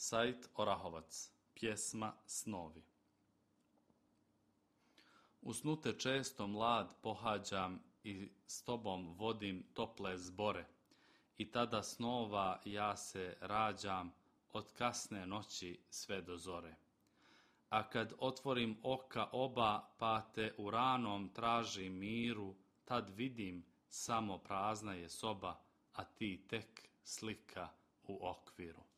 Said Orahovac, pjesma Snovi. U snu te često mlad pohađam i s tobom vodim tople zbore, i tada snova ja se rađam od kasne noći sve do zore. A kad otvorim oka oba, pa te u ranom tražim miru, tad vidim samo prazna je soba, a ti tek slika u okviru.